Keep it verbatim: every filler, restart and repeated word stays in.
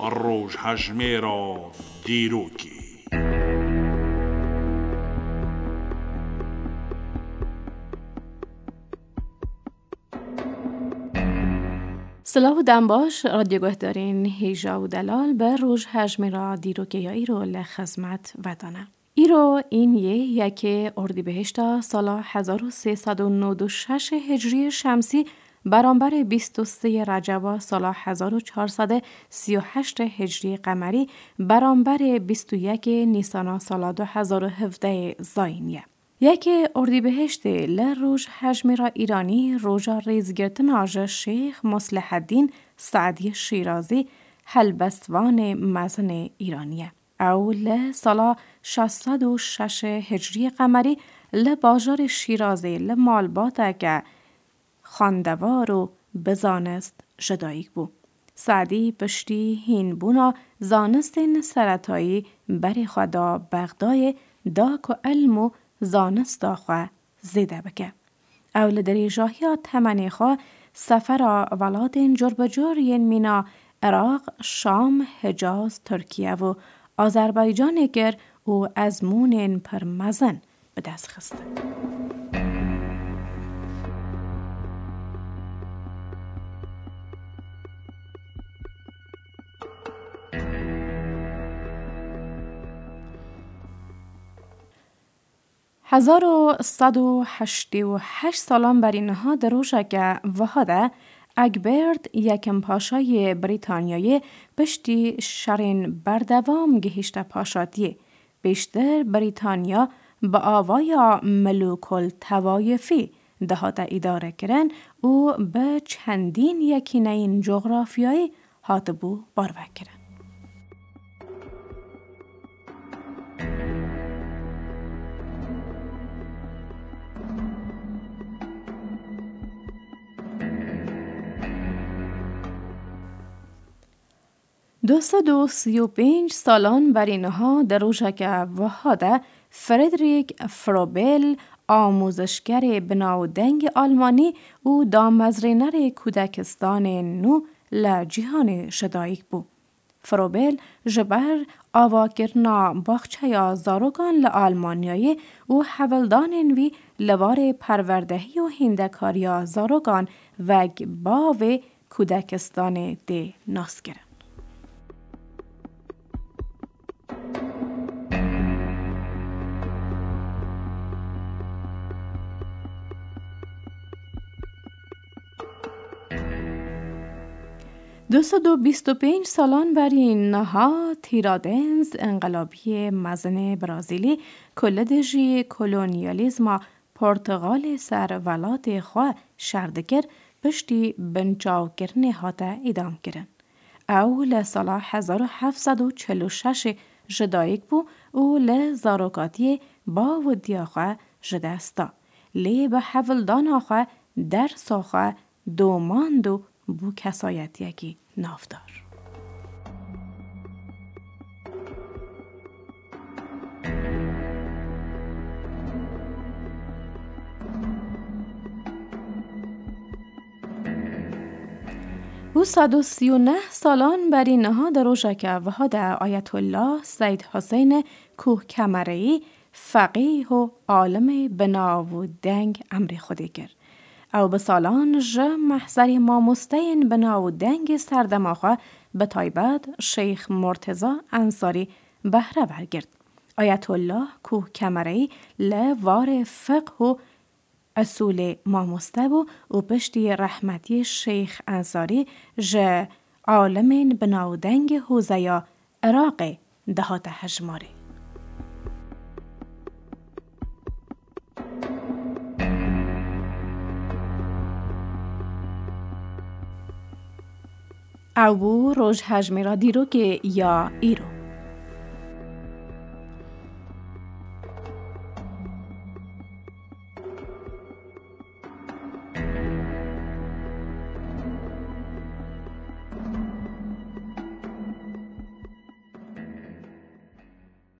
Rojhejmêra dîrokê. Silav û dem baş, radyo guhdarên hêja û delal, bi rojhejmêra dîrokê ya îro li xizmet ve de ne. Îro în yê yekê Ordîbehişta sala hezar û sê sed û nod û şeş Hicriyê Şemsî, beramberê bîst û sê Receba sala hezar û çar sed û sî û heşt Hicriyê Qemerî, beramberê bîst û yekê Nîsana sala du hezar û hevdeh Zayînî ye. Yekê Ordîbehiştê li rojhejmêra Îranî roja rêzgirtina ji Şêx Musliheddîn Seedî Şîrazî, helbestvanê mezin ê Îranî ye. Ew li sala şeş sed û şeş Hicriyê Qemerî li bajarê Şîrazê li malbateke xwendewar û bi zanist ji dayik bû. Seedî piştî hînbûna zanistên seretayî berê xwe da Bexdayê, da ku ilm û zanista xwe zêde bike. Ew li dirêjahiya temenê xwe sefera welatên curbicur yên mîna Iraq, Şam, Hicaz, Tirkiye û Azerbaycanê kir û ezmûnên pir mezin bi dest xistin. Hezar û sed û heştê û heşt salan berî niha di rojeke wiha de Egbert Yekim Paşa yê Brîtanyayê piştî şerên berdewam gihîşte paşatiyê. Pêştir Brîtanya bi avaya milûkul tewayifî dihate îdarekirin û bi çendîn yekîneyên cografyayî hatibû parvekirin. Du sed û sî û pênc salan berî niha di rojeke wiha de Friedrich Frobel, amûzişgerê bi navdengê Almanî û damezrênerê kudekistanên nû li cîhanê ji dayik bû. Frobel ji ber avakirina baxçeya zarokan li Almanyayê û hewldanên wî li warê perwerdehî û hîndekariya zarokan wek bavê kudekistanê tê naskirin. Du sed û bîst û pênc salan berî niha Tiradentes, înqilabiyê mezinê Brazîlî ku li dijî kolonyalîzma Portugalê ser welatê xwe şer dikir, piştî binçavkirinê hate îdamkirin. Ew li sala hezar û heft sed û çil û şeş ji dayik bû û li zarokatiyê bav û diya xwe ji dest da. Lê bi hewldana xwe dersa xwe domand û bû kesayetiyekî navdar. Û sed û sî û neh salan berî niha di rojeke wiha de Ayetullah Seyd Huseyne Kuh Kemereyî, feqîh û alimê bi nav û deng emrê Xwedê kir. Ew bi salan ji mehzerê mamosteyên bi nav û dengê serdema xwe, bi taybet Şeyx Murteza Ensarî, behre wergirt. Ayetullah Kuh Kemereyî li warê fiqh û usulê mamoste bû û piştî rehmetiyê Şeyx Ensarî ji alimên bi navdengê hûzeya Iraqê dihate hejmarê. Ew bû rojhejmêra dîrokê ya îro.